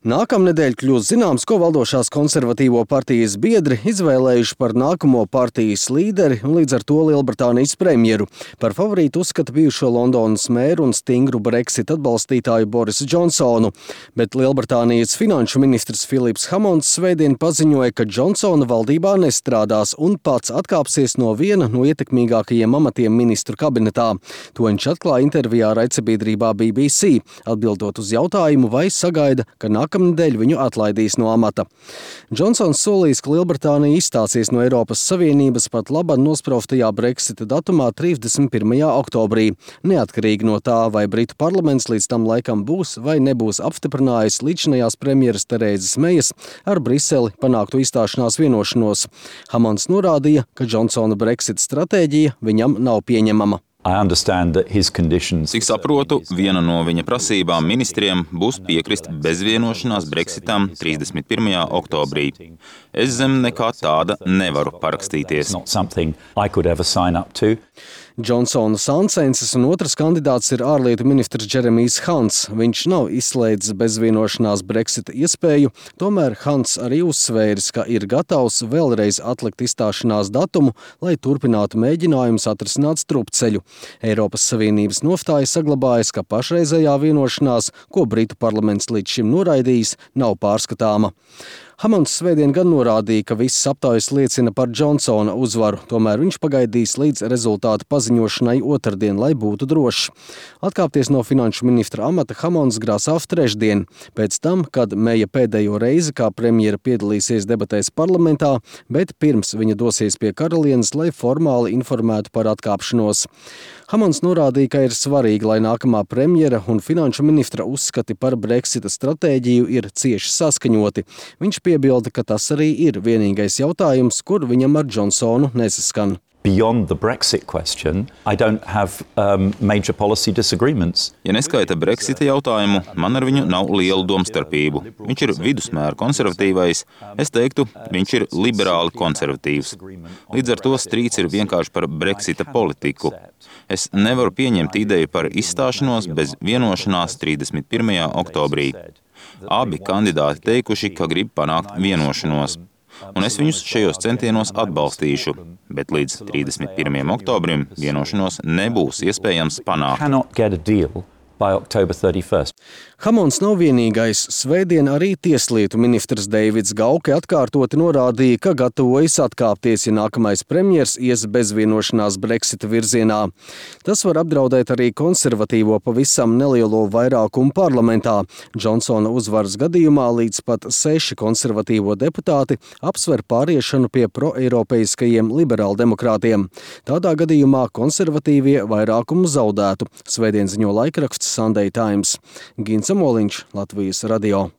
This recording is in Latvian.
Nākamnedēļ kļūs zināms, ko valdošās konservatīvo partijas biedri izvēlējuši par nākamo partijas līderi un līdz ar to Lielbritānijas premjeru. Par favorītu uzskata bijušo Londonas mēru un stingru Brexit atbalstītāju Borisu Džonsonu, bet Lielbritānijas finanšu ministrs Filips Hammonds svētdien paziņoja, ka Džonsona valdībā nestrādās un pats atkāpsies no viena no ietekmīgākajiem amatiem ministru kabinetā. To viņš atklāja intervijā raidsabiedrībā BBC, atbildot uz jautājumu, vai sagaida, ka nākamnedēļ viņu atlaidīs no amata. Džonsons solījis, ka Lielbritānija izstāsies no Eiropas Savienības pat labāk nospraustajā Brexita datumā 31. oktobrī, neatkarīgi no tā, vai Britu parlaments līdz tam laikam būs vai nebūs apstiprinājis līdzinājās premjeras Terēzes Mejas ar Briseli panāktu izstāšanās vienošanos. Hammonds norādīja, ka Džonsona Brexit stratēģija viņam nav pieņemama. Cik saprotu, viena no viņa prasībām ministriem būs piekrist bezvienošanās Brexitam 31. oktobrī. Es zem nekā tāda nevaru parakstīties. Džonsona sancensis un otrs kandidāts ir ārlietu ministrs Džeremijs Hants. Viņš nav izslēdzis bezvienošanās Brexita iespēju, tomēr Hants arī uzsvēris, ka ir gatavs vēlreiz atlikt izstāšanās datumu, lai turpinātu mēģinājumus atrisināt strupceļu. Eiropas Savienības nostāja saglabājas, ka pašreizējā vienošanās, ko Britu parlaments līdz šim noraidījis, nav pārskatāma. Hammonds svētdien gan norādīja, ka visas aptaujas liecina par Džonsona uzvaru, tomēr viņš pagaidīs līdz rezultātu paziņošanai otrdien, lai būtu drošs. Atkāpties no finanšu ministra amata Hammonds grasās trešdien, pēc tam, kad Meja pēdējo reizi kā premjera piedalīsies debatēs parlamentā, bet pirms viņa dosies pie karalienes, lai formāli informētu par atkāpšanos. Hammonds norādīja, ka ir svarīgi, lai nākamā premjera un finanšu ministra uzskati par Brexita stratēģiju ir cieši saskaņoti. Viņš piebilda, ka tas arī ir vienīgais jautājums, kur viņam ar Džonsonu nesaskan. Beyond the Brexit question, I don't have major policy disagreements. Ja neskaita Brexita jautājumu, man ar viņu nav lielu domstarpību. Viņš ir vidusmēra konservatīvais, es teiktu, viņš ir liberāli konservatīvs. Līdz ar to strīds ir vienkārši par Brexita politiku. Es nevaru pieņemt ideju par izstāšanos bez vienošanās 31. oktobrī. Abi kandidāti teikuši, ka grib panākt vienošanos. Un es viņus šajos centienos atbalstīšu, bet līdz 31. oktobrim vienošanos nebūs iespējams panākt. Hammonds nav vienīgais. Svētdien arī tieslietu ministrs Deivids Gauke atkārtoti norādīja, ka gatavojas atkāpties, ja nākamais premjers ies bezvienošanās Brexita virzienā. Tas var apdraudēt arī konservatīvo pavisam nelielo vairākumu parlamentā. Džonsona uzvaras gadījumā līdz pat 6 konservatīvo deputāti apsver pāriešanu pie proeiropeiskajiem liberāldemokrātiem. Tādā gadījumā konservatīvie vairākumu zaudētu. Svētdien ziņo laikraksts Sunday Times. Gins Amoliņš, Latvijas radio.